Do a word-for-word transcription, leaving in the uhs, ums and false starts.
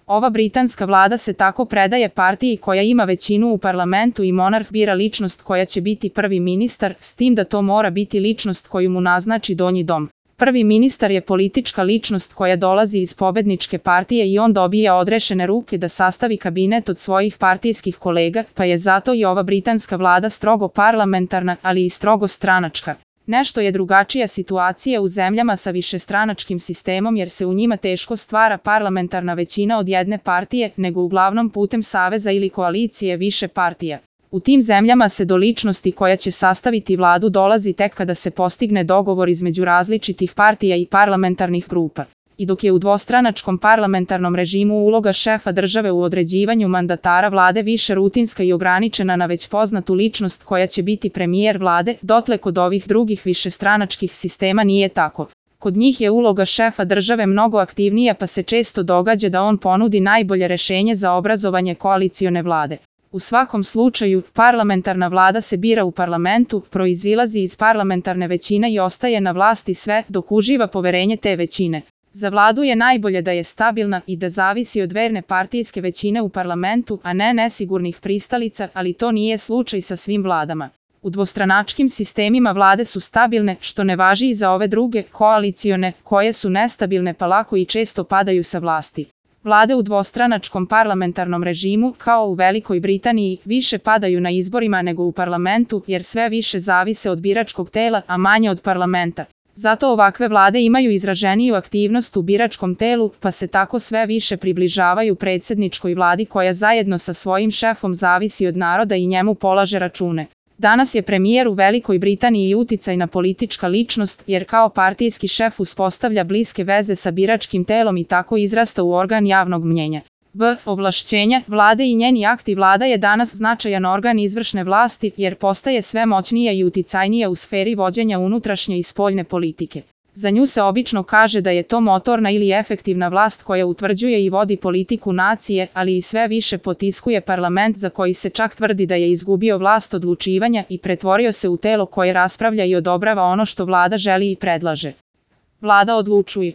Ova britanska vlada se tako predaje partiji koja ima većinu u parlamentu i monarh bira ličnost koja će biti prvi ministar, s tim da to mora biti ličnost koju mu naznači donji dom. Prvi ministar je politička ličnost koja dolazi iz pobedničke partije i on dobija odrešene ruke da sastavi kabinet od svojih partijskih kolega, pa je zato i ova britanska vlada strogo parlamentarna, ali i strogo stranačka. Nešto je drugačija situacija u zemljama sa višestranačkim sistemom jer se u njima teško stvara parlamentarna većina od jedne partije, nego uglavnom putem saveza ili koalicije više partija. U tim zemljama se do ličnosti koja će sastaviti vladu dolazi tek kada se postigne dogovor između različitih partija i parlamentarnih grupa. I dok je u dvostranačkom parlamentarnom režimu uloga šefa države u određivanju mandatara vlade više rutinska i ograničena na već poznatu ličnost koja će biti premijer vlade, dotle kod ovih drugih višestranačkih sistema nije tako. Kod njih je uloga šefa države mnogo aktivnija pa se često događa da on ponudi najbolje rešenje za obrazovanje koalicione vlade. U svakom slučaju, parlamentarna vlada se bira u parlamentu, proizilazi iz parlamentarne većine i ostaje na vlasti sve dok uživa poverenje te većine. Za vladu je najbolje da je stabilna i da zavisi od verne partijske većine u parlamentu, a ne nesigurnih pristalica, ali to nije slučaj sa svim vladama. U dvostranačkim sistemima vlade su stabilne, što ne važi i za ove druge, koalicione, koje su nestabilne pa lako i često padaju sa vlasti. Vlade u dvostranačkom parlamentarnom režimu, kao u Velikoj Britaniji, više padaju na izborima nego u parlamentu, jer sve više zavise od biračkog tela, a manje od parlamenta. Zato ovakve vlade imaju izraženiju aktivnost u biračkom telu, pa se tako sve više približavaju predsjedničkoj vladi koja zajedno sa svojim šefom zavisi od naroda i njemu polaže račune. Danas je premijer u Velikoj Britaniji uticajna politička ličnost, jer kao partijski šef uspostavlja bliske veze sa biračkim telom i tako izrasta u organ javnog mnjenja. B. Ovlašćenja vlade i njeni akti. Vlada je danas značajan organ izvršne vlasti, jer postaje sve moćnija i uticajnija u sferi vođenja unutrašnje i spoljne politike. Za nju se obično kaže da je to motorna ili efektivna vlast koja utvrđuje i vodi politiku nacije, ali i sve više potiskuje parlament za koji se čak tvrdi da je izgubio vlast odlučivanja i pretvorio se u telo koje raspravlja i odobrava ono što vlada želi i predlaže. Vlada odlučuje.